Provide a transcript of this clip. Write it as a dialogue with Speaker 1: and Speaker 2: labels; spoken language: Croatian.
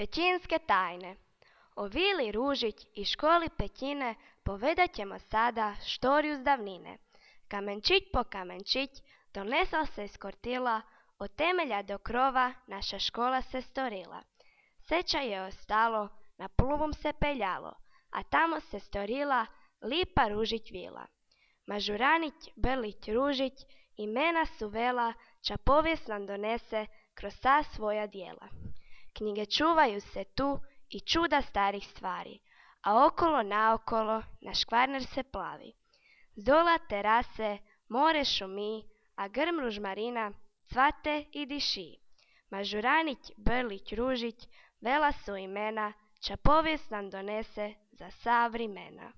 Speaker 1: Pećinske tajne. O Vili Ružić i školi Pećine povedat ćemo sada štoriju z davnine. Kamenčić po kamenčić donesla se iz kortila, od temelja do krova naša škola se storila. Seča je ostalo, na plugom se peljalo, a tamo se storila lipa Ružić vila. Mažuranić, Brlić, Ružić, imena su vela, ča povijest nam donese kroz ta svoja dijela. Knjige čuvaju se tu i čuda starih stvari, a okolo naokolo naš Kvarner se plavi. Zdola terase, more šumi, a grm ružmarina cvate i diši. Mažuranić, Brlić, Ružić, vela su imena, ča povijest nam donese za sva vrimena.